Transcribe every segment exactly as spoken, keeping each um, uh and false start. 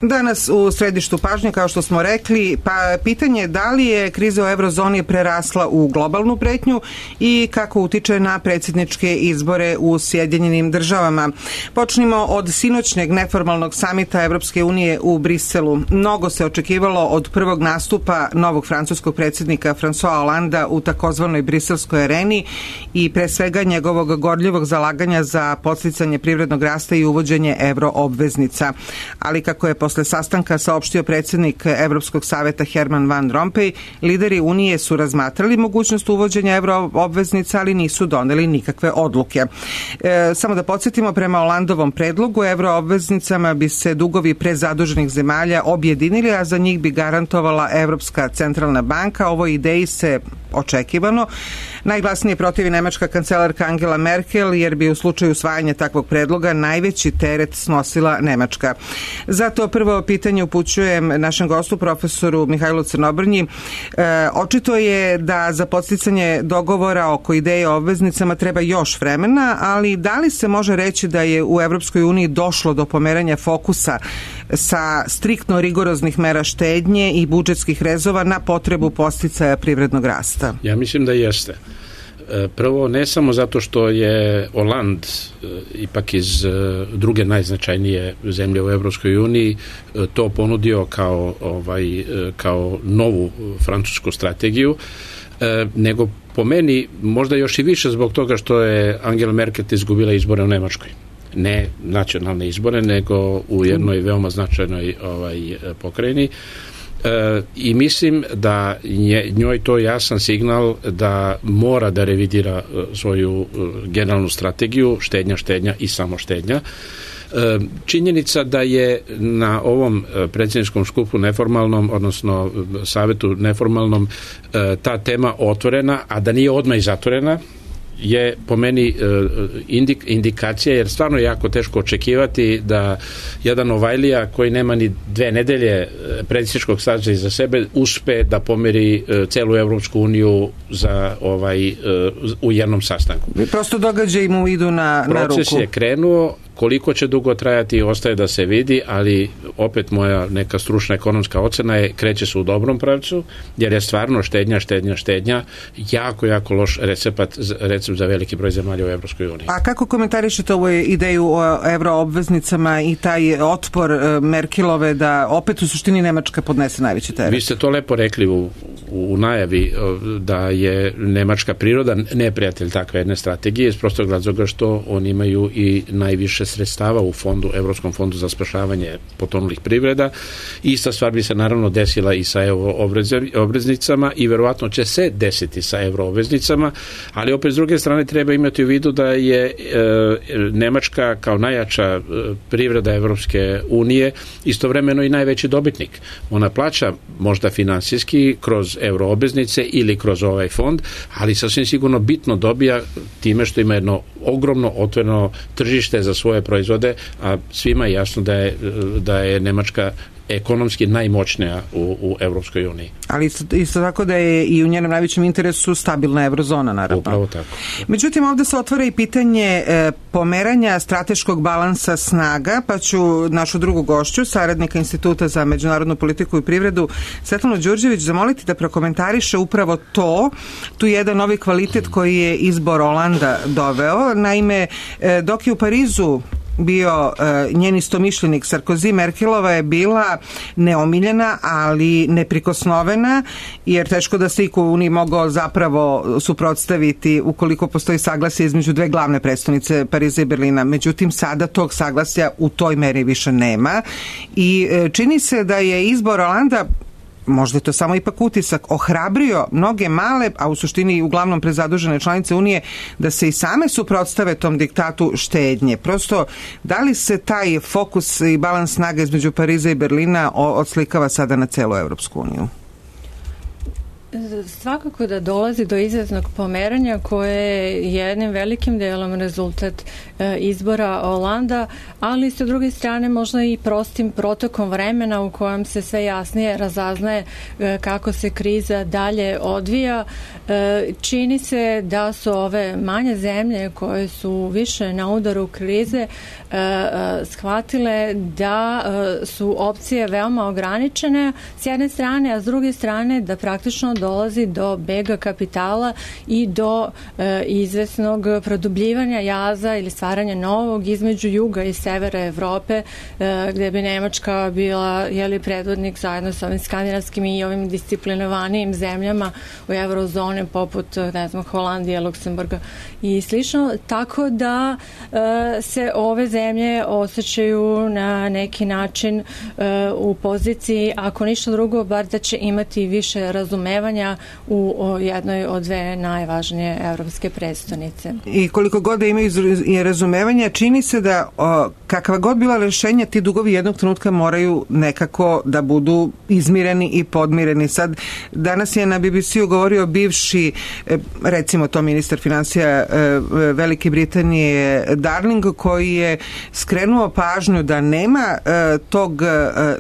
Danas u središtu pažnje, kao što smo rekli, pa pitanje je da li je kriza u eurozoni prerasla u globalnu pretnju i kako utiče na predsjedničke izbore u Sjedinjenim državama. Počnimo od sinoćnjeg neformalnog samita Evropske unije u Briselu. Mnogo se očekivalo od prvog nastupa novog francuskog predsjednika François Hollanda u takozvanoj briselskoj areni i pre svega njegovog gorljivog zalaganja za podsticanje privrednog rasta i uvođenje evroobveznica. Ali kako je posle sastanka saopštio predsjednik Evropskog saveta Herman Van Rompuy, lideri Unije su razmatrali mogućnost uvođenja evroobveznica, ali nisu doneli nikakve odluke. E, samo da podsjetimo, prema Hollandovom predlogu evroobveznicama bi se dugovi prezaduženih zemalja objedinili, a za njih bi garantovala Evropska centralna banka. Ovoj ideji se očekivano najglasnije protivi nemačka kancelarka Angela Merkel, jer bi u slučaju usvajanja takvog predloga najveći teret snosila Nemačka. Zato prvo pitanje upućujem našem gostu, profesoru Mihajlu Crnobrnji. E, očito je da za podsticanje dogovora oko ideje o obveznicama treba još vremena, ali da li se može reći da je u Evropskoj uniji došlo do pomeranja fokusa sa striktno rigoroznih mera štednje i budžetskih rezova na potrebu podsticaja privrednog rasta? Ja mislim da jeste. Prvo, ne samo zato što je Hollande ipak iz druge najznačajnije zemlje u Evropskoj uniji to ponudio kao, ovaj, kao novu francusku strategiju, nego po meni možda još i više zbog toga što je Angela Merkel izgubila izbore u Nemačkoj. Ne nacionalne izbore, nego u jednoj veoma značajnoj ovaj, pokrajini. E, i mislim da nje, njoj to jasan signal da mora da revidira svoju generalnu strategiju štednja, štednja i samo štednja. E, činjenica da je na ovom predsjedničkom skupu neformalnom, odnosno savetu neformalnom, e, ta tema otvorena, a da nije odmah i zatvorena, je po meni indik, indikacija, jer stvarno je jako teško očekivati da jedan Novajlija koji nema ni dve nedelje predsjedničkog staža iza sebe uspe da pomeri celu Evropsku uniju za ovaj u jednom sastanku. Prosto događaji mu idu na, na ruku. Proces je krenuo, koliko će dugo trajati ostaje da se vidi, ali opet moja neka stručna ekonomska ocena je kreće se u dobrom pravcu, jer je stvarno štednja, štednja, štednja jako, jako loš recept, recept za veliki broj zemalja u Evropskoj uniji. A kako komentarišete ovu ideju o evroobveznicama i taj otpor Merkelove da opet u suštini Nemačka podnese najveći teret? Vi ste to lepo rekli u, u najavi da je Nemačka priroda neprijatelj takve jedne strategije iz prostog razloga što oni imaju i najviše sredstava u fondu, Evropskom fondu za spašavanje potonulih privreda. Ista stvar bi se naravno desila i sa evroobveznicama i verovatno će se desiti sa evroobveznicama, ali opet s druge strane treba imati u vidu da je e, Nemačka kao najjača e, privreda Evropske unije istovremeno i najveći dobitnik. Ona plaća možda finansijski kroz evroobveznice ili kroz ovaj fond, ali sasvim sigurno bitno dobija time što ima jedno ogromno otvoreno tržište za svoje proizvode, a svima je jasno da je, da je Nemačka ekonomski najmoćnija u, u Evropskoj uniji. Ali isto, isto tako da je i u njenom najvećem interesu stabilna eurozona, naravno. Upravo tako. Međutim, ovdje se otvara i pitanje e, pomeranja strateškog balansa snaga, pa ću našu drugu gošću, saradnika Instituta za međunarodnu politiku i privredu, Svetlanu Đurđević, zamoliti da prokomentariše upravo to, tu jedan novi kvalitet koji je izbor Holanda doveo. Naime, e, dok je u Parizu bio e, njen istomišljenik Sarkozy, Merkelova je bila neomiljena, ali neprikosnovena, jer teško da se iko u Uniji mogao zapravo suprotstaviti ukoliko postoji saglasje između dve glavne predstavnice, Pariza i Berlina. Međutim, sada tog saglasja u toj meri više nema i e, čini se da je izbor Holanda, možda je to samo ipak utisak, ohrabrio mnoge male, a u suštini uglavnom prezadužene članice Unije, da se i same suprotstave tom diktatu štednje. Prosto, da li se taj fokus i balans snaga između Pariza i Berlina odslikava sada na celu Evropsku uniju? Svakako da dolazi do izvesnog pomeranja koje je jednim velikim delom rezultat izbora Holanda, ali sa druge strane možda i prostim protokom vremena u kojem se sve jasnije razaznaje kako se kriza dalje odvija. Čini se da su ove manje zemlje koje su više na udaru krize shvatile da su opcije veoma ograničene s jedne strane, a s druge strane da praktično dolazi do bega kapitala i do izvesnog produbljivanja jaza ili stvaranja novog između juga i severa Evrope, gde bi Nemačka bila jeli, predvodnik zajedno sa ovim skandinavskim i ovim disciplinovanijim zemljama u eurozoni poput, ne znam, Holandije, Luksemburga i slično, tako da se ove zemlje osjećaju na neki način u poziciji, ako ništa drugo, bar da će imati više razumevanja u jednoj od dve najvažnije evropske prestonice. I koliko god da imaju razumevanja, čini se da o, kakva god bila rešenja, ti dugovi jednog trenutka moraju nekako da budu izmireni i podmireni. Sad, danas je na B B C-u govorio bivši, recimo to ministar finansija Velike Britanije Darling, koji je skrenuo pažnju da nema tog,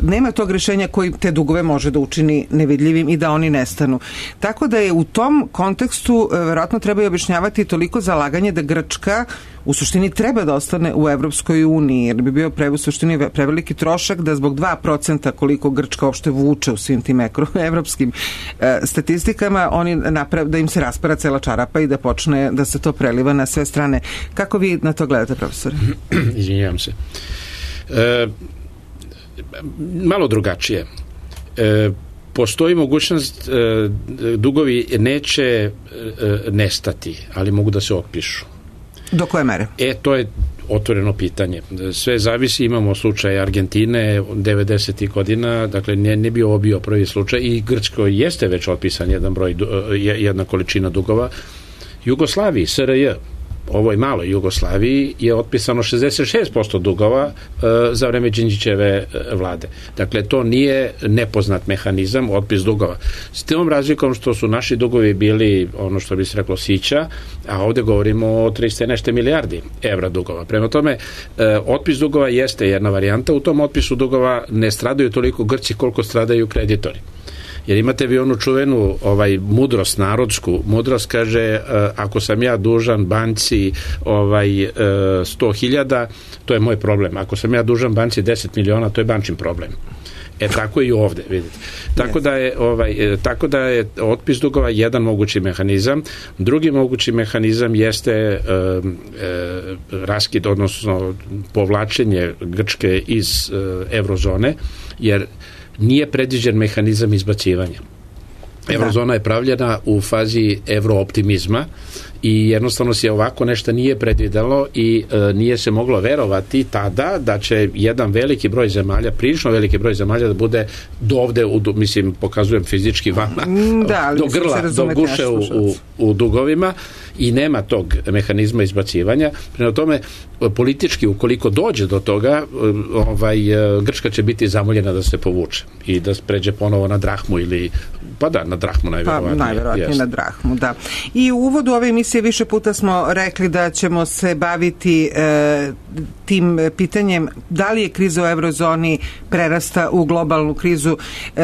nema tog rešenja koji te dugove može da učini nevidljivim i da oni nestanu. Tako da je u tom kontekstu verovatno treba i objašnjavati toliko zalaganje da Grčka u suštini treba da ostane u Evropskoj uniji, jer bi bio pre, u suštini preveliki trošak da zbog dva procenta koliko Grčka uopšte vuče u svim tim evropskim e, statistikama, oni naprav, da im se raspara cela čarapa i da počne da se to preliva na sve strane. Kako vi na to gledate, profesore? Izvinjavam se. E, malo drugačije. E, postoji mogućnost, e, dugovi neće e, nestati, ali mogu da se otpišu. Do koje mere? E, to je otvoreno pitanje. Sve zavisi, imamo slučaj Argentine devedesetih godina, dakle ne, ne bi ovo bio prvi slučaj i Grčkoj jeste već otpisan jedan broj, jedna količina dugova. Jugoslaviji, S R J, ovoj maloj Jugoslaviji je otpisano šezdeset šest posto dugova e, za vreme Đinđićeve vlade. Dakle, to nije nepoznat mehanizam, otpis dugova. S tom razlikom što su naši dugovi bili, ono što bi se reklo, sića, a ovde govorimo o trista nešto milijardi evra dugova. Prema tome, e, otpis dugova jeste jedna varijanta. U tom otpisu dugova ne stradaju toliko Grci koliko stradaju kreditori. Jer imate vi onu čuvenu ovaj, mudrost, narodsku mudrost, kaže, uh, ako sam ja dužan banci ovaj, uh, sto hiljada, to je moj problem. Ako sam ja dužan banci deset miliona, to je bančin problem. E tako i ovde, vidite. Tako da je ovaj tako da je otpis dugova jedan mogući mehanizam. Drugi mogući mehanizam jeste e, e, raskid, odnosno povlačenje Grčke iz e, eurozone, jer nije predviđen mehanizam izbacivanja. Eurozona je pravljena u fazi evrooptimizma i jednostavno se ovako nešto nije predvidelo i e, nije se moglo verovati tada da će jedan veliki broj zemalja, prilično veliki broj zemalja da bude do ovde, u, mislim, pokazujem fizički vama, da, do grla, do guše u, u, u dugovima i nema tog mehanizma izbacivanja. Prema tome, politički, ukoliko dođe do toga, ovaj, Grčka će biti zamoljena da se povuče i da pređe ponovo na drahmu ili, pa da, na drahmu najverovatnije. Pa, najverovatnije na drahmu, da. I u uvodu ove emisije više puta smo rekli da ćemo se baviti e, tim pitanjem da li je kriza u eurozoni prerasta u globalnu krizu. E,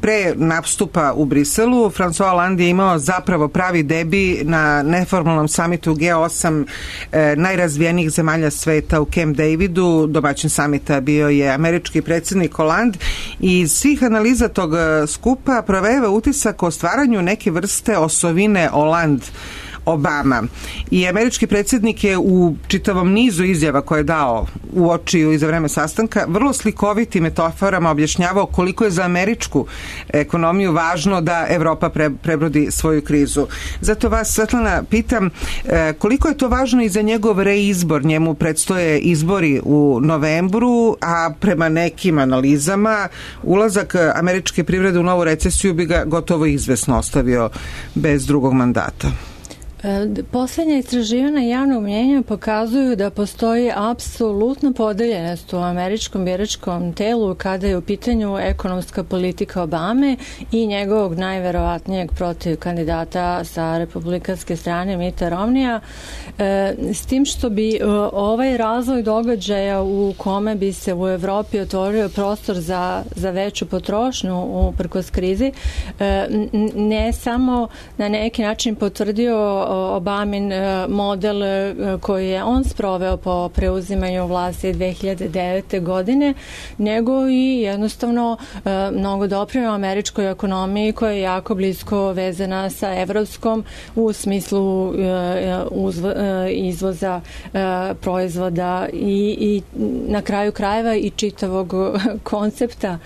pre nastupa u Briselu, François Hollande je imao zapravo pravi debi na neformalnom samitu G osam e, najrazvijenijih zemalja sveta u Camp Davidu. Domaćin samita bio je američki predsjednik Hollande i iz svih analiza tog skupa provejava utisak o stvaranju neke vrste osovine Hollande Obama. I američki predsjednik je u čitavom nizu izjava koje je dao u oči i za vreme sastanka vrlo slikovitim metaforama objašnjavao koliko je za američku ekonomiju važno da Evropa pre, prebrodi svoju krizu. Zato vas, Svetlana, pitam koliko je to važno i za njegov reizbor. Njemu predstoje izbori u novembru, a prema nekim analizama ulazak američke privrede u novu recesiju bi ga gotovo izvesno ostavio bez drugog mandata. Poslednja istraživanja javnog mnjenja pokazuju da postoji apsolutno podeljenost u američkom biračkom telu kada je u pitanju ekonomska politika Obame i njegovog najverovatnijeg protiv kandidata sa republikanske strane Mitta Romneya, s tim što bi ovaj razvoj događaja u kome bi se u Evropi otvorio prostor za, za veću potrošnju uprkos krizi ne samo na neki način potvrdio Obamin model koji je on sproveo po preuzimanju vlasti dve hiljade devete. godine, nego i jednostavno mnogo doprineo američkoj ekonomiji koja je jako blisko vezana sa evropskom u smislu izvoza proizvoda i, i na kraju krajeva i čitavog koncepta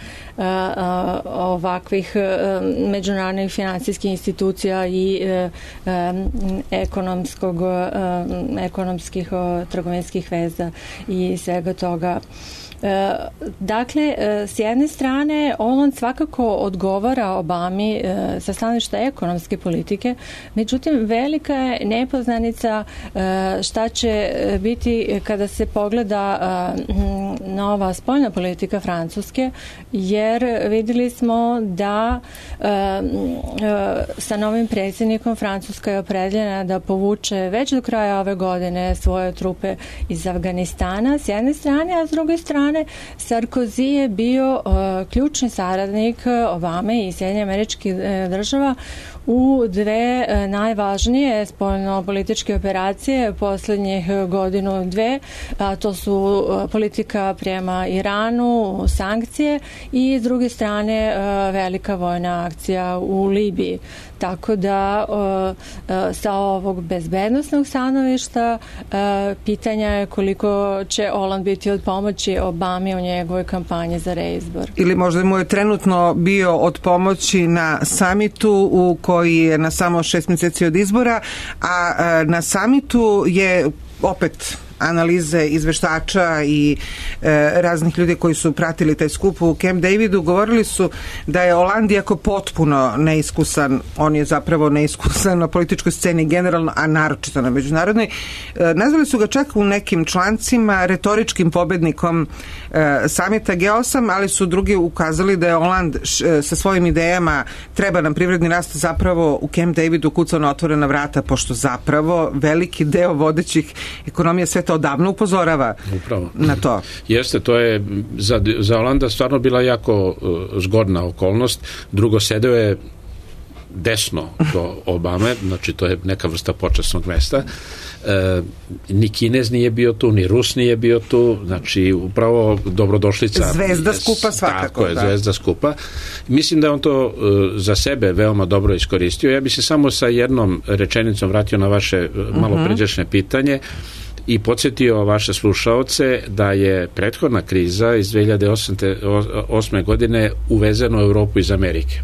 ovakvih međunarodnih finansijskih institucija i ekonomskog, ekonomskih trgovinskih veza i svega toga. Dakle, s jedne strane, Hollande svakako odgovara Obami sa stanovišta ekonomske politike, međutim, velika je nepoznanica šta će biti kada se pogleda nova spoljna politika Francuske, jer vidjeli smo da sa novim predsjednikom Francuska je opredeljena da povuče već do kraja ove godine svoje trupe iz Afganistana s jedne strane, a s druge strane Sarkozy je bio uh, ključni saradnik Obame i Sjedinjenih Američkih država u dve uh, najvažnije spoljno-političke operacije posljednjih godinu dve, a to su uh, politika prema Iranu, sankcije i s druge strane uh, velika vojna akcija u Libiji. Tako da sa ovog bezbednosnog stanovišta pitanja je koliko će Hollande biti od pomoći Obami u njegovoj kampanji za reizbor. Ili možda mu je trenutno bio od pomoći na samitu u koji je na samo šest mjeseci od izbora, a na samitu je opet analize izveštača i e, raznih ljudi koji su pratili taj skup u Camp Davidu govorili su da je Hollande iako potpuno neiskusan, on je zapravo neiskusan na političkoj sceni generalno, a naročito na međunarodnoj. E, nazvali su ga čak u nekim člancima retoričkim pobednikom e, samita G osam, ali su drugi ukazali da je Hollande š, sa svojim idejama treba nam privredni rast zapravo u Camp Davidu kucao na otvorena vrata, pošto zapravo veliki deo vodećih ekonomija sveta odavno upozorava Upravo. na to. Jeste, to je za, za Hollanda stvarno bila jako uh, zgodna okolnost. Drugo, sedeo je desno do Obame, znači to je neka vrsta počasnog mesta. E, ni Kinez nije bio tu, ni Rus nije bio tu, znači upravo dobrodošlica. Zvezda skupa svakako. Tako je, da. zvezda skupa. Mislim da je on to uh, za sebe veoma dobro iskoristio. Ja bi se samo sa jednom rečenicom vratio na vaše uh, malo uh-huh. pređašnje pitanje i podsjetio vaše slušaoce da je prethodna kriza iz dve hiljade osme. godine uvezena u Europu iz Amerike.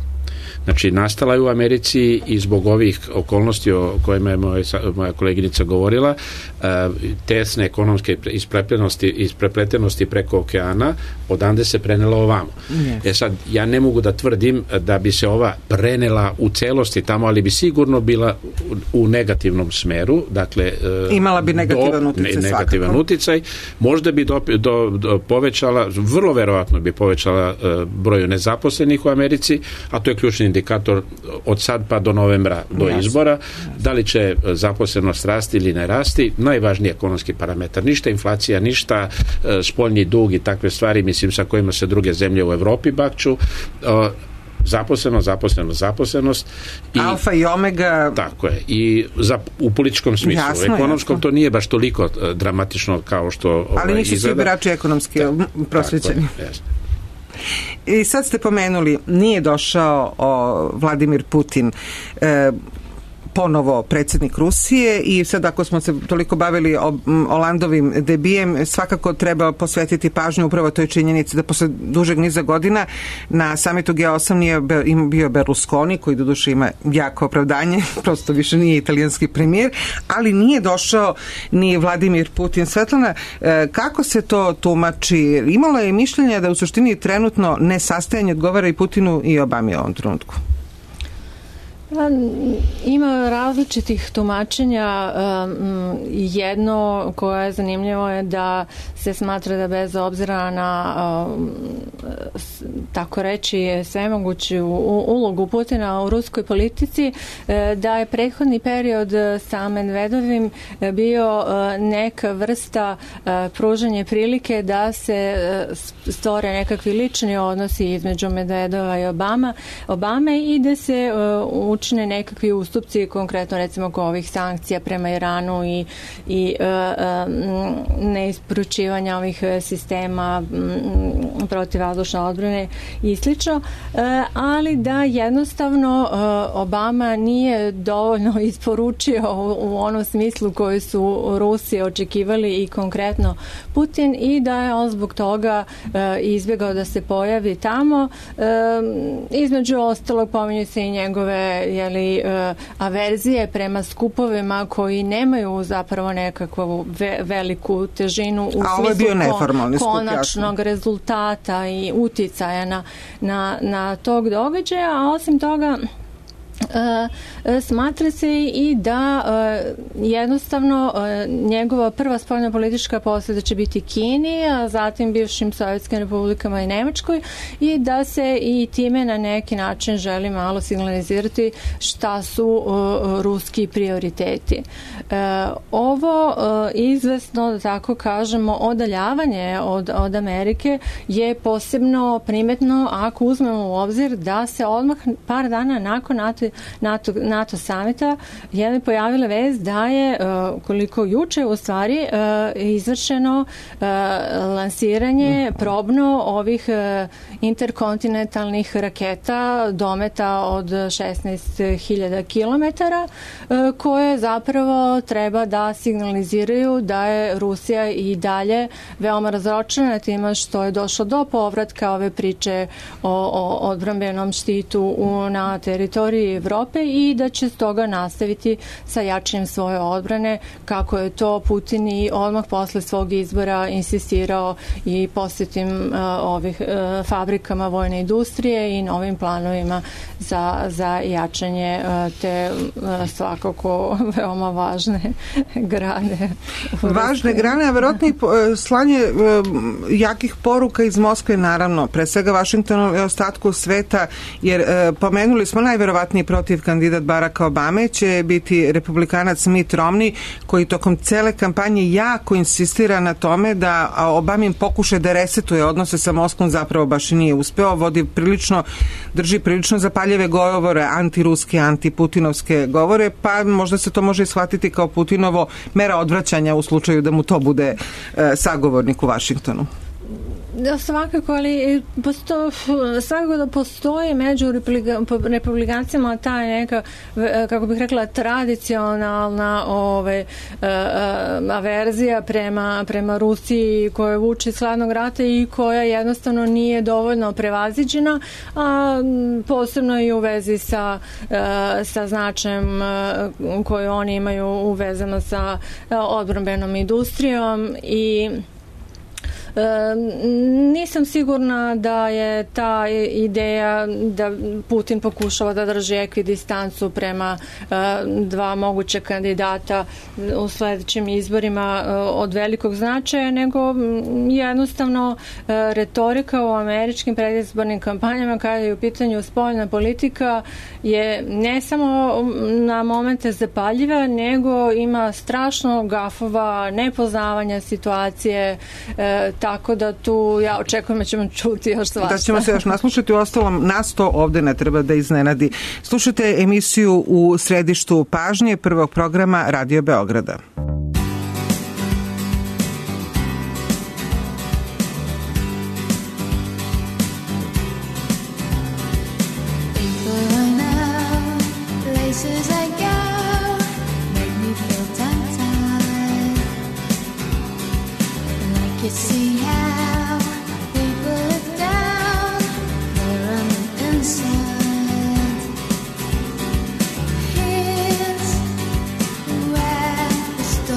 Znači, nastala je u Americi i zbog ovih okolnosti o kojima je moja, moja koleginica govorila, tesne ekonomske isprepletenosti, isprepletenosti preko okeana, odande se prenela ovamo. Yes. E sad, ja ne mogu da tvrdim da bi se ova prenela u celosti tamo, ali bi sigurno bila u, u negativnom smeru. Dakle, imala bi negativan do, uticaj. Ne, negativan svakako. uticaj. Možda bi do, do, do povećala, vrlo verovatno bi povećala uh, broju nezaposlenih u Americi, a to je ključni indikator od sad pa do novembra, do yes. izbora. Yes. Da li će zaposlenost rasti ili ne rasti, najvažniji ekonomski parametar. Ništa inflacija, ništa uh, spoljni dug i takve stvari, mislim, sa kojima se druge zemlje u Evropi bakću. Uh, zaposlenost, zaposlenost, zaposlenost. I, alfa i omega. Tako je. I za, u političkom smislu. Jasno, u ekonomskom jasno. To nije baš toliko uh, dramatično kao što ali ovaj, nisu izgleda. svi birači ekonomski prosvećeni. Jasno. I sad ste pomenuli, nije došao o, Vladimir Putin, e, ponovo predsjednik Rusije, i sad ako smo se toliko bavili o Hollandovim debijem, svakako treba posvetiti pažnju upravo toj činjenici da posle dužeg niza godina na samitu G osam nije bio Berlusconi, koji doduše ima jako opravdanje, prosto više nije italijanski premijer, ali nije došao ni Vladimir Putin. Svetlana, kako se to tumači? Imalo je mišljenja da u suštini trenutno nesastajanje odgovara i Putinu i Obami u ovom trenutku. Ima različitih tumačenja. Jedno koje je zanimljivo je da se smatra da bez obzira na tako reći svemoguću ulogu Putina u ruskoj politici, da je prethodni period sa Medvedovim bio neka vrsta pružanje prilike da se stvore nekakvi lični odnosi između Medvedova i Obama, Obame i da se učine nekakvi ustupci, konkretno recimo oko ovih sankcija prema Iranu i, i uh, uh, neisporučivanja ovih sistema um, protivvazdušne odbrane i slično, uh, ali da jednostavno uh, Obama nije dovoljno isporučio u, u onom smislu koji su Rusi očekivali i konkretno Putin, i da je on zbog toga uh, izbjegao da se pojavi tamo. Uh, između ostalog pominju se i njegove jeli, uh, averzije prema skupovima koji nemaju zapravo nekakvu ve, veliku težinu u A smislu kon, konačnog skup, rezultata i uticaja na, na, na tog događaja, a osim toga Uh, smatra se i da uh, jednostavno uh, njegova prva spoljna politička posjeta će biti Kini, a zatim bivšim sovjetskim republikama i Nemačkoj, i da se i time na neki način želi malo signalizirati šta su uh, ruski prioriteti. Uh, ovo uh, izvesno, da tako kažemo, odaljavanje od, od Amerike je posebno primetno ako uzmemo u obzir da se odmah par dana nakon NATO NATO, NATO samita je pojavila vez da je uh, koliko juče u stvari uh, izvršeno uh, lansiranje probno ovih uh, interkontinentalnih raketa dometa od šesnaest hiljada kilometara uh, koje zapravo treba da signaliziraju da je Rusija i dalje veoma razročena time što je došlo do povratka ove priče o, o odbrambenom štitu u, na teritoriji Evrope i da će stoga nastaviti sa jačanjem svoje odbrane, kako je to Putin i odmah posle svog izbora insistirao i posjetim uh, ovih uh, fabrikama vojne industrije i novim planovima za, za jačanje uh, te uh, svakako veoma važne grane. Važne grane, a verovatno i slanje uh, jakih poruka iz Moskve, naravno, pre svega Vašingtonu i ostatku sveta, jer uh, pomenuli smo najverovatniji protiv kandidat Baracka Obame će biti republikanac Mitt Romney, koji tokom cele kampanje jako insistira na tome da Obamin pokuša da resetuje odnose sa Moskvom, zapravo baš i nije uspeo, vodi prilično, drži prilično zapaljive govore, antiruske, antiputinovske govore, pa možda se to može shvatiti kao Putinovo mera odvraćanja u slučaju da mu to bude e, sagovornik u Vašingtonu. Da, svakako, ali posto, svakako da postoji među republikancima ta neka, kako bih rekla, tradicionalna ove, averzija prema, prema Rusiji koja vuče iz hladnog rata i koja jednostavno nije dovoljno prevaziđena, a posebno i u vezi sa, sa značajem koju oni imaju uvezano sa odbrambenom industrijom i E, nisam sigurna da je ta ideja da Putin pokušava da drži ekvidistancu prema e, dva moguća kandidata u sledećim izborima e, od velikog značaja, nego jednostavno e, retorika u američkim predizbornim kampanjama kada je u pitanju spoljna politika je ne samo na momente zapaljiva, nego ima strašno gafova, nepoznavanja situacije, e, tako da tu ja očekujem da ćemo čuti još svašta. Da ćemo se još naslušati, u ostalom nas to ovde ne treba da iznenadi. Slušajte emisiju U središtu pažnje prvog programa Radio Beograda. See how people look down there on the inside. Here's where the story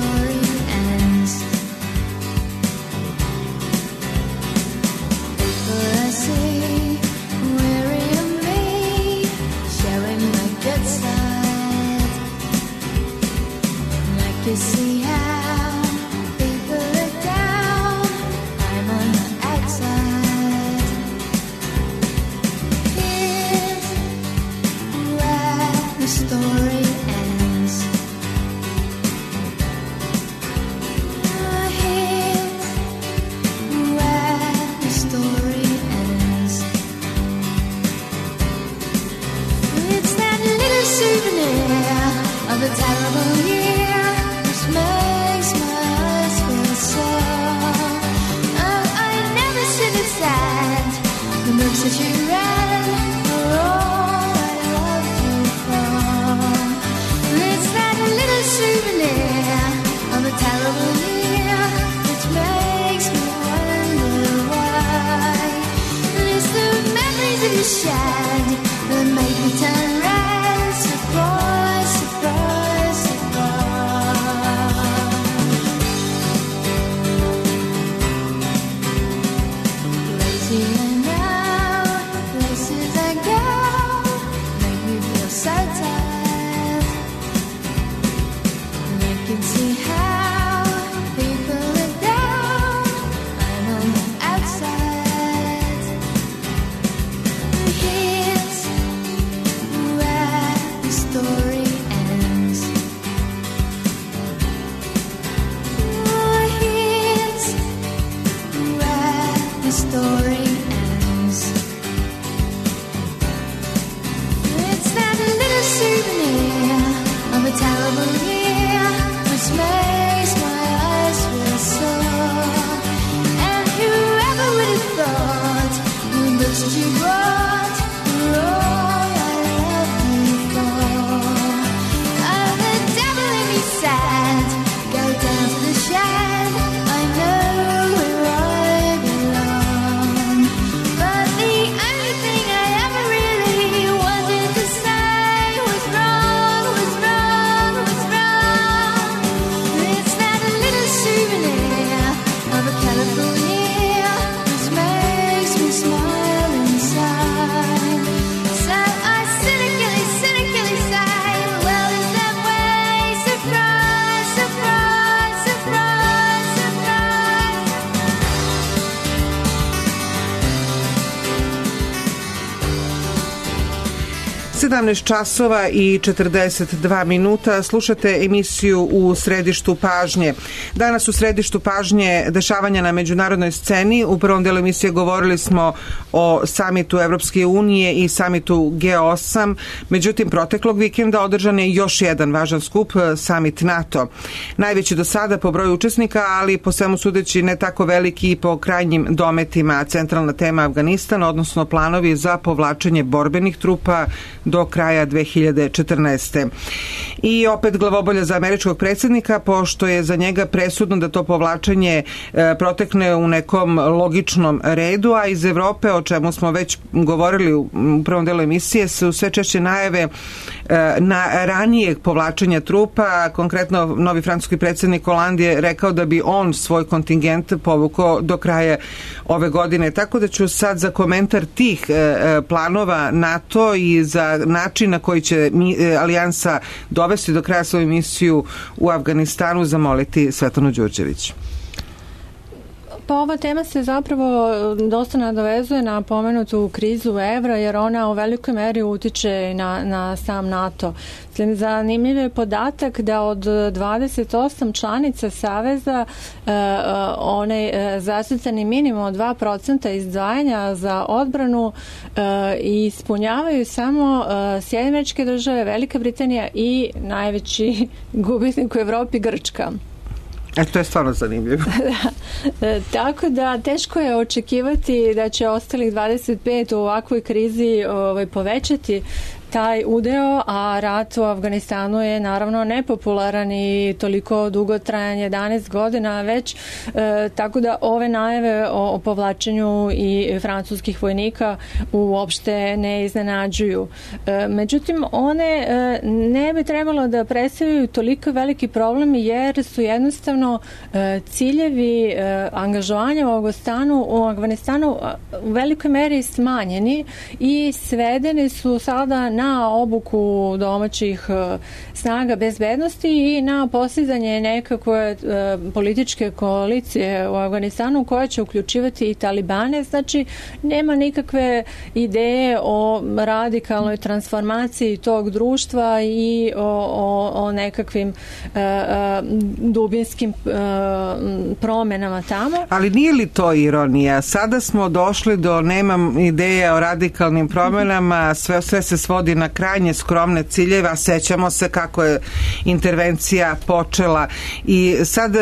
souvenir of a terrible year, which makes my eyes feel sore. Oh, I never should have said the books that you read were all I loved you for. It's that little souvenir of a terrible year, which makes me wonder why. And it's the memories that you shared that make me turn red. Surprise, surprise, surprise. Lazy and now, places I go make me feel so tired. And I can see how people are down. I'm on the outside. And here's where the story ends. Oh, here's where the story ends. It's that little souvenir of a terrible year, which makes my eyes feel sore. And whoever would have thought the books that you brought were all I loved you for. Oh, the devil in me said, go down to the shed, I know where I belong. But the only thing I ever really wanted to say was wrong, was wrong, was wrong. It's that little souvenir of a colorful year, which makes me smile inside. So I cynically, cynically say, well, is that way? Surprise, surprise, surprise, surprise. sedamnaest časova i četrdeset dva minuta. Slušate emisiju U središtu pažnje. Danas u središtu pažnje dešavanja na međunarodnoj sceni. U prvom delu emisije govorili smo o samitu Evropske unije i samitu G osam. Međutim, proteklog vikenda održan je još jedan važan skup, samit NATO. Najveći do sada po broju učesnika, ali po svemu sudeći ne tako veliki i po krajnjim dometima. Centralna tema Afganistan, odnosno planovi za povlačenje borbenih trupa do kraja dve hiljade četrnaeste. I opet glavobolja za američkog predsjednika, pošto je za njega presudno da to povlačenje e, protekne u nekom logičnom redu, a iz Evrope, o čemu smo već govorili u, u prvom delu emisije, su sve češće najave e, na ranijeg povlačenja trupa. Konkretno, novi francuski predsjednik Hollande je rekao da bi on svoj kontingent povukao do kraja ove godine. Tako da ću sad za komentar tih e, planova NATO i za način na koji će mi, e, alijansa dovesti do kraja svoju misiju u Afganistanu zamoliti Svetlanu Đurđević. Pa ova tema se zapravo dosta nadovezuje na pomenutu krizu evra, jer ona u velikoj meri utiče na, na sam NATO. Zanimljiv je podatak da od dvadeset osam članica Saveza e, onaj e, zacrtani minimum od dva procenta izdvajanja za odbranu e, ispunjavaju samo e, Sjedinjene Američke Države, Velika Britanija i najveći gubitnik u Evropi Grčka. E, to je stvarno zanimljivo. Da. E, tako da teško je očekivati da će ostalih dvadeset pet u ovakvoj krizi ovaj, povećati taj udeo, a rat u Afganistanu je naravno nepopularan i toliko dugotrajan, jedanaest godina već, e, tako da ove najave o, o povlačenju i francuskih vojnika uopšte ne iznenađuju. E, međutim, one e, ne bi trebalo da predstavljaju toliko veliki problem, jer su jednostavno e, ciljevi e, angažovanja u Afganistanu, u Afganistanu u velikoj meri smanjeni i svedeni su sada na obuku domaćih snaga bezbednosti i na postizanje nekakve političke koalicije u Afganistanu koja će uključivati i Talibane. Znači, nema nikakve ideje o radikalnoj transformaciji tog društva i o, o, o nekakvim uh, dubinskim uh, promenama tamo. Ali nije li to ironija? Sada smo došli do, nemam ideje o radikalnim promenama, sve, sve se svodi svodi na krajnje skromne ciljeve, a sećamo se kako je intervencija počela. I sad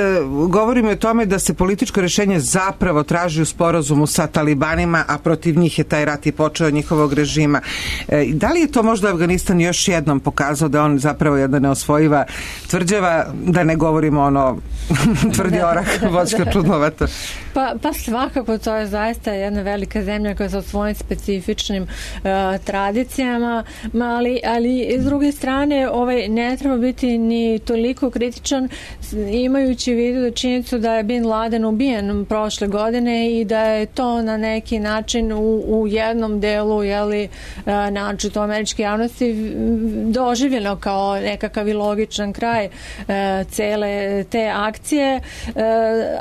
govorimo o tome da se političko rešenje zapravo traži u sporazumu sa talibanima, a protiv njih je taj rat i počeo njihovog režima. E, da li je to možda Afganistan još jednom pokazao da on zapravo jedna neosvojiva tvrđava, da ne govorimo ono tvrdi orah, voćka čudnovata? Pa, pa svakako to je zaista jedna velika zemlja koja sa svojim specifičnim uh, tradicijama, ali, ali s druge strane ovaj, ne treba biti ni toliko kritičan imajući u vidu da činjenicu da je Bin Laden ubijen prošle godine i da je to na neki način u, u jednom delu jeli, način to američke javnosti doživljeno kao nekakav i logičan kraj uh, cele te akcije, uh,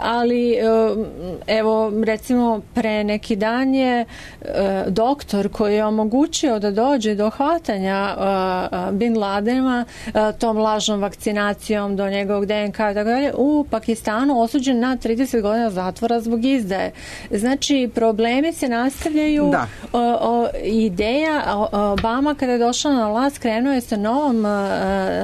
ali uh, evo recimo pre neki dan je uh, doktor koji je omogućio da dođe do hvatanja uh, Bin Ladena uh, tom lažnom vakcinacijom do njegovog D N K i tako dalje u Pakistanu osuđen na trideset godina zatvora zbog izdaje. Znači problemi se nastavljaju. Da. O, o, ideja Obama kada je došao na vlast krenuo je sa novom uh,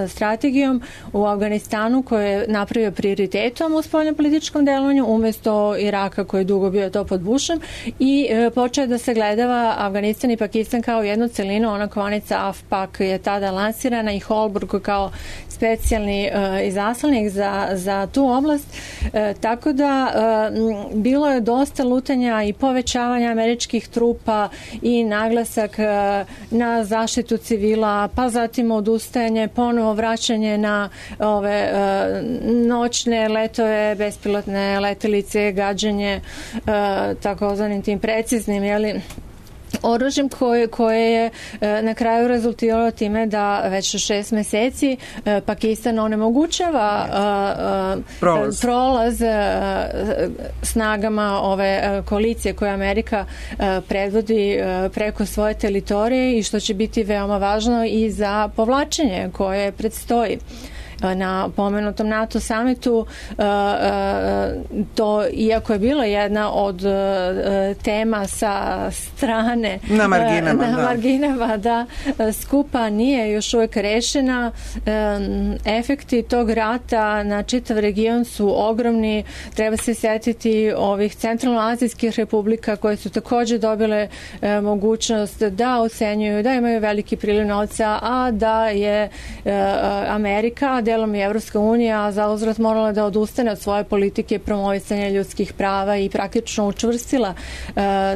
strategijom u Afganistanu koju je napravio prioritetom u spoljnopolitičkom delovanju umjesto Iraka koji je dugo bio to pod Bushem i uh, počeo da se gledava Afganistan i Pakistan kao jednu celinu, ona kovanica A F P A K je tada lansirana i Holbrooke kao specijalni uh, izaslanik za, za tu oblast. E, tako da e, bilo je dosta lutanja i povećavanja američkih trupa i naglasak e, na zaštitu civila, pa zatim odustajanje, ponovo vraćanje na ove e, noćne letove, bespilotne letelice, gađanje e, takozvanim tim preciznim, jeli, oružjem koje, koje je e, na kraju rezultiralo time da već šest meseci e, Pakistan onemogućava e, e, prolaz, prolaz e, snagama ove e, koalicije koje Amerika e, predvodi e, preko svoje teritorije i što će biti veoma važno i za povlačenje koje predstoji. Na pomenutom NATO samitu to, iako je bila jedna od tema sa strane na marginama, na da. marginama da skupa nije još uvijek rešena, efekti tog rata na čitav region su ogromni. Treba se sjetiti ovih centralnoazijskih republika koje su također dobile mogućnost da ocenjuju, da imaju veliki priliv novca, a da je Amerika, delom i Evropska unija za uzvrat morala da odustane od svoje politike promovisanja ljudskih prava i praktično učvrstila uh,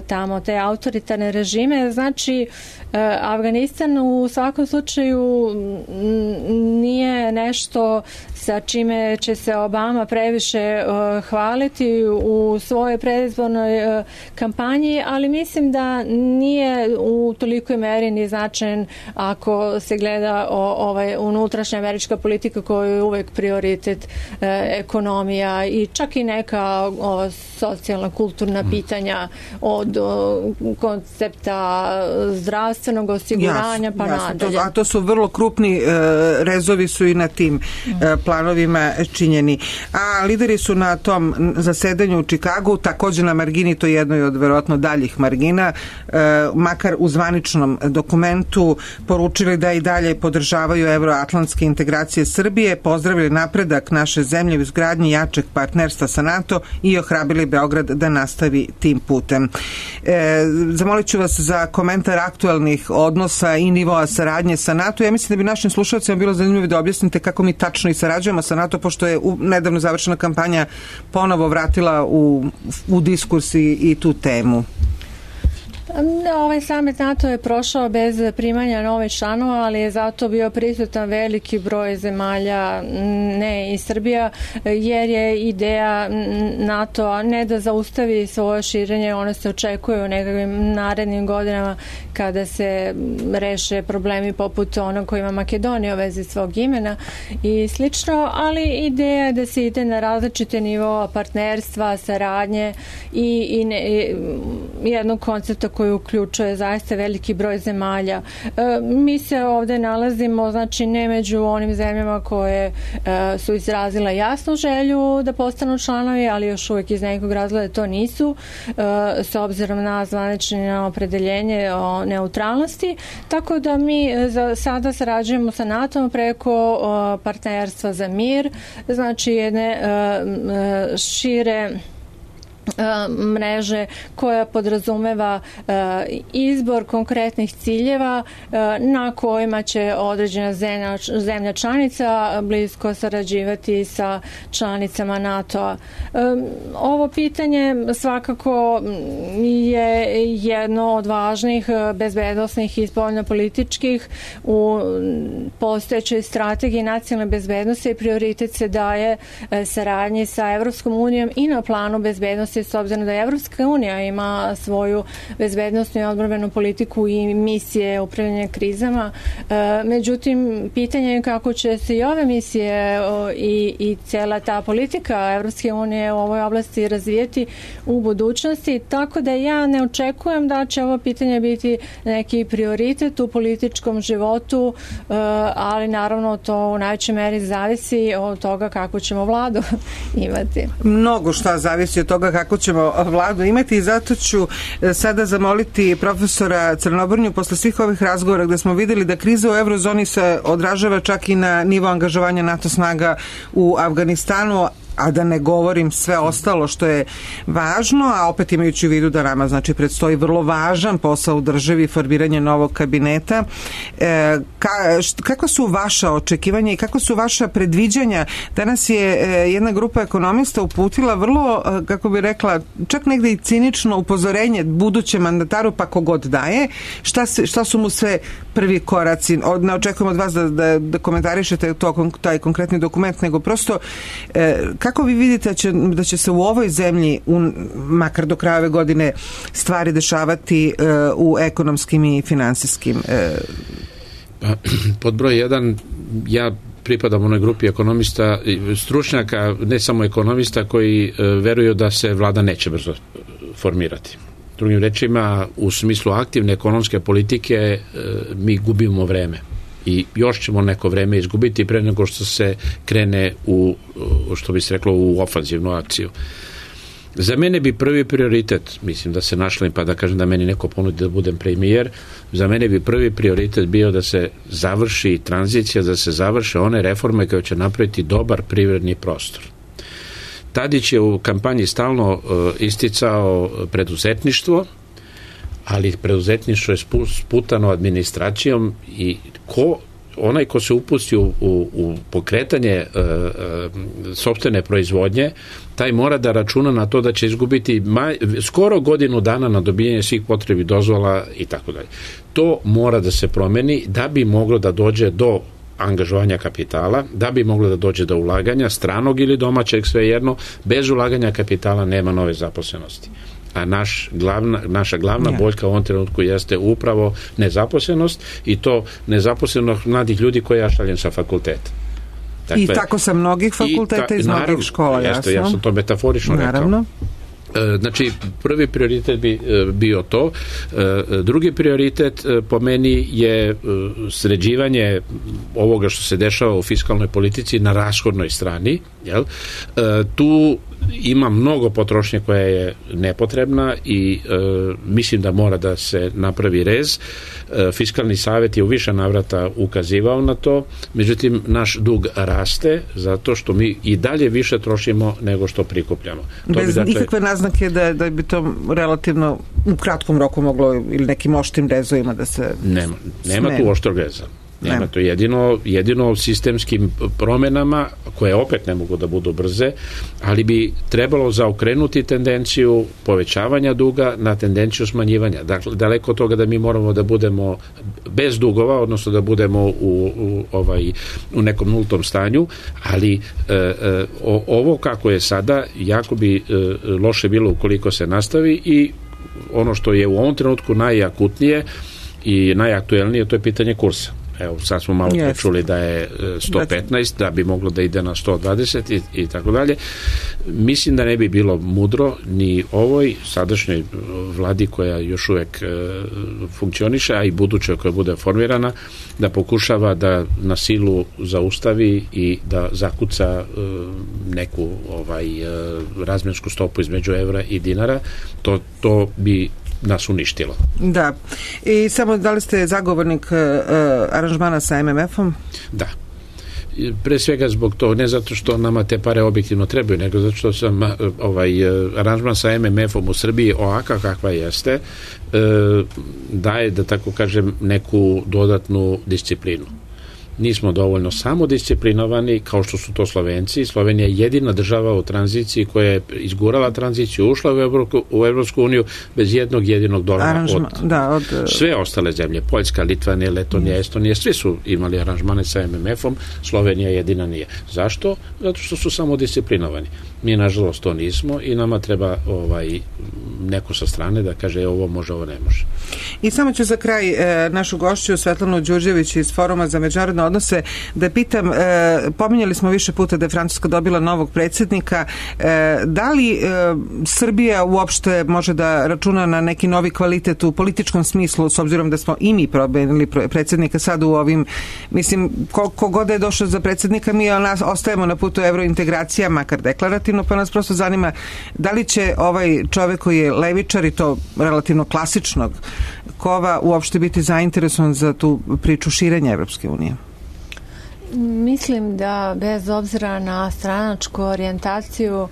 tamo te autoritarne režime. Znači, uh, Afganistan u svakom slučaju nije nešto sa čime će se Obama previše uh, hvaliti u svojoj predizbornoj uh, kampanji, ali mislim da nije u tolikoj meri ni značajan ako se gleda o, ovaj, unutrašnja američka politika koju je uvek prioritet e, ekonomija i čak i neka ova socijalna, kulturna pitanja od o, koncepta zdravstvenog osiguranja jasno, pa jasno, nadalje. To, a to su vrlo krupni e, rezovi su i na tim e, planovima činjeni. A lideri su na tom zasedanju u Čikagu, također na margini, to je jednoj od verovatno daljih margina, e, makar u zvaničnom dokumentu poručili da i dalje podržavaju evroatlantske integracije Srbije, pozdravili napredak naše zemlje u izgradnji jačeg partnerstva sa NATO i ohrabili Beograd da nastavi tim putem. E, zamolit ću vas za komentar aktualnih odnosa i nivoa saradnje sa NATO. Ja mislim da bi našim slušalcima bilo zanimljivo da objasnite kako mi tačno i sarađujemo sa NATO, pošto je u, nedavno završena kampanja ponovo vratila u, u diskurs i, i tu temu. Ovaj samit NATO je prošao bez primanja novih članova, ali je zato bio prisutan veliki broj zemalja, ne i Srbija, jer je ideja NATO ne da zaustavi svoje širenje, ono se očekuje u nekakvim narednim godinama kada se reše problemi poput onog koji ima Makedonija u vezi svog imena i slično, ali ideja je da se ide na različite nivoa partnerstva, saradnje i, i, ne, i jednog koncepta koji uključuje zaista veliki broj zemalja. Mi se ovde nalazimo, znači ne među onim zemljama koje su izrazile jasnu želju da postanu članovi, ali još uvijek iz nekog razloga to nisu, s obzirom na zvanično opredeljenje o neutralnosti, tako da mi za sada sarađujemo sa NATO preko partnerstva za mir, znači jedne šire mreže koja podrazumeva izbor konkretnih ciljeva na kojima će određena zemlja, zemlja članica blisko sarađivati sa članicama NATO-a. Ovo pitanje svakako je jedno od važnih bezbednosnih i spoljnopolitičkih u postojećoj strategiji nacionalne bezbednosti. Prioritet se daje saradnji sa Evropskom unijom i na planu bezbednosti, s obzirom da Evropska unija ima svoju bezbednosnu i odbrambenu politiku i misije upravljanja krizama. Međutim, pitanje je kako će se i ove misije i, i cijela ta politika Evropske unije u ovoj oblasti razvijeti u budućnosti, tako da ja ne očekujem da će ovo pitanje biti neki prioritet u političkom životu, ali naravno to u najvećoj meri zavisi od toga kako ćemo vladu imati. Mnogo šta zavisi od toga kako ćemo vladu imati i zato ću sada zamoliti profesora Crnobrnju posle svih ovih razgovora gde smo videli da kriza u eurozoni se odražava čak i na nivo angažovanja NATO snaga u Afganistanu, a da ne govorim sve ostalo što je važno, a opet imajući u vidu da nama znači predstoji vrlo važan posao u državi, formiranje novog kabineta. E, ka, kako su vaša očekivanja i kako su vaša predviđanja? Danas je e, jedna grupa ekonomista uputila vrlo, e, kako bi rekla, čak negde i cinično upozorenje budućem mandataru, pa kogod daje, šta, se, šta su mu sve prvi koraci. Od, ne očekujem od vas da, da, da komentarišete to, taj konkretni dokument, nego prosto e, kako vi vidite da će, da će se u ovoj zemlji, u, makar do kraja ove godine, stvari dešavati uh, u ekonomskim i finansijskim? Uh... Pa, pod broj jedan, ja pripadam onoj grupi ekonomista, stručnjaka, ne samo ekonomista, koji uh, veruju da se vlada neće brzo formirati. Drugim rečima, u smislu aktivne ekonomske politike uh, mi gubimo vreme. I još ćemo neko vreme izgubiti pre nego što se krene u, što bi se reklo, u ofanzivnu akciju. Za mene bi prvi prioritet, mislim da se našlim, pa da kažem da meni neko ponudi da budem premijer, za mene bi prvi prioritet bio da se završi tranzicija, da se završe one reforme koje će napraviti dobar privredni prostor. Tadić je u kampanji stalno uh, isticao preduzetništvo, ali preduzetništvo je sputano administracijom i ko, onaj ko se upusti u, u, u pokretanje e, e, sopstvene proizvodnje, taj mora da računa na to da će izgubiti maj, skoro godinu dana na dobijanje svih potrebi dozvola i tako dalje. To mora da se promeni da bi moglo da dođe do angažovanja kapitala, da bi moglo da dođe do ulaganja, stranog ili domaćeg, svejedno. Bez ulaganja kapitala nema nove zaposlenosti. A naš glavna, naša glavna ja. boljka u ovom trenutku jeste upravo nezaposlenost, i to nezaposlenost mladih ljudi koje ja šaljem sa fakulteta. Dakle, I tako sa mnogih fakulteta ta, iz mnogih naravno, škola, jeste, jasno. Ja sam to metaforično naravno. rekao. Znači, prvi prioritet bi bio to. Drugi prioritet po meni je sređivanje ovoga što se dešava u fiskalnoj politici na rashodnoj strani. Jel? Tu ima mnogo potrošnje koja je nepotrebna i e, mislim da mora da se napravi rez. E, Fiskalni savjet je u više navrata ukazivao na to, međutim naš dug raste zato što mi i dalje više trošimo nego što prikupljamo. To Bez bi, dakle, nikakve naznake da, da bi to relativno u kratkom roku moglo ili nekim oštrim rezovima da se... Nema, nema tu oštrog reza. Nema, Nema. to jedino, jedino sistemskim promenama, koje opet ne mogu da budu brze, ali bi trebalo zaokrenuti tendenciju povećavanja duga na tendenciju smanjivanja. Dakle, daleko od toga da mi moramo da budemo bez dugova, odnosno da budemo u, u, ovaj, u nekom nultom stanju, ali e, e, o, ovo kako je sada, jako bi e, loše bilo ukoliko se nastavi, i ono što je u ovom trenutku najakutnije i najaktuelnije, to je pitanje kursa. evo sad smo malo Yes. čuli da je sto petnaest, da bi moglo da ide na sto dvadeset i, i tako dalje. Mislim da ne bi bilo mudro ni ovoj sadašnjoj vladi koja još uvek e, funkcioniše, a i budućoj koja bude formirana, da pokušava da na silu zaustavi i da zakuca e, neku ovaj e, razmjensku stopu između evra i dinara. To, to bi nas uništilo. Da. I samo da li ste zagovornik uh, aranžmana sa em em efom? Da. Pre svega zbog to, ne zato što nama te pare objektivno trebaju, nego zato što sam ovaj aranžman sa em em efom u Srbiji ovaka kakva jeste, e, daje, da tako kažem, neku dodatnu disciplinu. Nismo dovoljno samodisciplinovani kao što su to Slovenci. Slovenija je jedina država u tranziciji koja je izgurala tranziciju, ušla u, Evro, u Evropsku uniju bez jednog jedinog dolara. Aranžma, od, da, od sve ostale zemlje, Poljska, Litvanija, Letonija, Estonija, svi su imali aranžmane sa em em efom, Slovenija jedina nije. Zašto? Zato što su samodisciplinovani. Mi nažalost to nismo i nama treba ovaj neko sa strane da kaže ovo može, ovo ne može. I samo ću za kraj e, našu gošću Svetlanu Đurđević iz Foruma za međunarodne odnose da pitam, e, pominjali smo više puta da je Francuska dobila novog predsjednika, e, da li e, Srbija uopšte može da računa na neki novi kvalitet u političkom smislu, s obzirom da smo i mi promenili predsjednika sad u ovim, mislim, ko god je došao za predsjednika, mi nas ostajemo na putu evrointegracija, makar deklarativno, pa nas prosto zanima da li će ovaj čovjek koji je levičar i to relativno klasičnog kova uopšte biti zainteresovan za tu priču širenja Evropske unije? Mislim da bez obzira na stranačku orijentaciju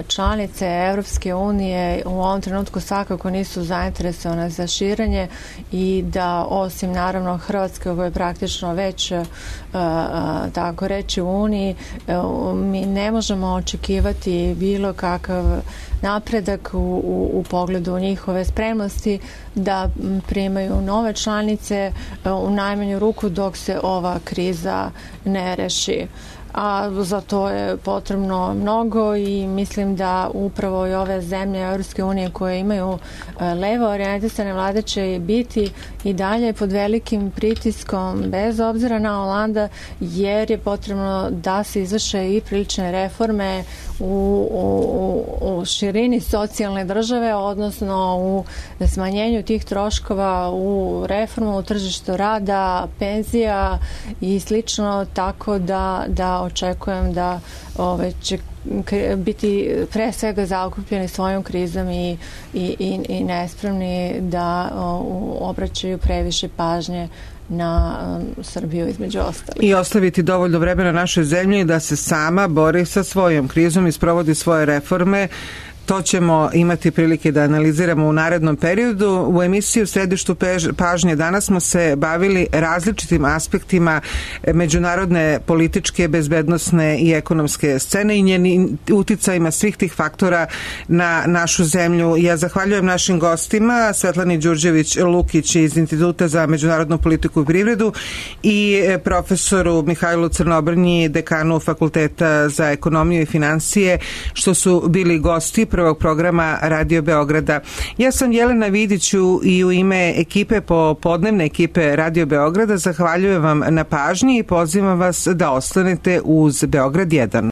članice Evropske unije u ovom trenutku svakako nisu zainteresovane za širenje i da osim naravno Hrvatske koja je praktično već tako reći u Uniji, mi ne možemo očekivati bilo kakav napredak u, u, u pogledu njihove spremnosti da primaju nove članice u najmanju ruku dok se ova kriza ne reši. A za to je potrebno mnogo i mislim da upravo i ove zemlje Europske unije koje imaju levo orijentisane vlade će biti i dalje pod velikim pritiskom bez obzira na Holanda, jer je potrebno da se izvrše i prilične reforme u, u, u širini socijalne države, odnosno u smanjenju tih troškova, u reformu u tržištu rada, penzija i slično, tako da, da očekujem da ove, će biti pre svega zaokupljeni svojom krizom i, i, i, i nespremni da o, obraćaju previše pažnje na um, Srbiju između ostalih. I ostaviti dovoljno vremena našoj zemlji da se sama bori sa svojom krizom i sprovodi svoje reforme. To ćemo imati prilike da analiziramo u narednom periodu. U emisiji u središtu pažnje danas smo se bavili različitim aspektima međunarodne političke, bezbednosne i ekonomske scene i njenim uticajima svih tih faktora na našu zemlju. Ja zahvaljujem našim gostima, Svetlani Đurđević-Lukić iz Instituta za međunarodnu politiku i privredu i profesoru Mihajlu Crnobrnji, dekanu Fakulteta za ekonomiju i financije, što su bili gosti prvog programa Radio Beograda. Ja sam Jelena Vidiću i u ime ekipe popodnevne ekipe Radio Beograda zahvaljujem vam na pažnji i pozivam vas da ostanete uz Beograd jedan.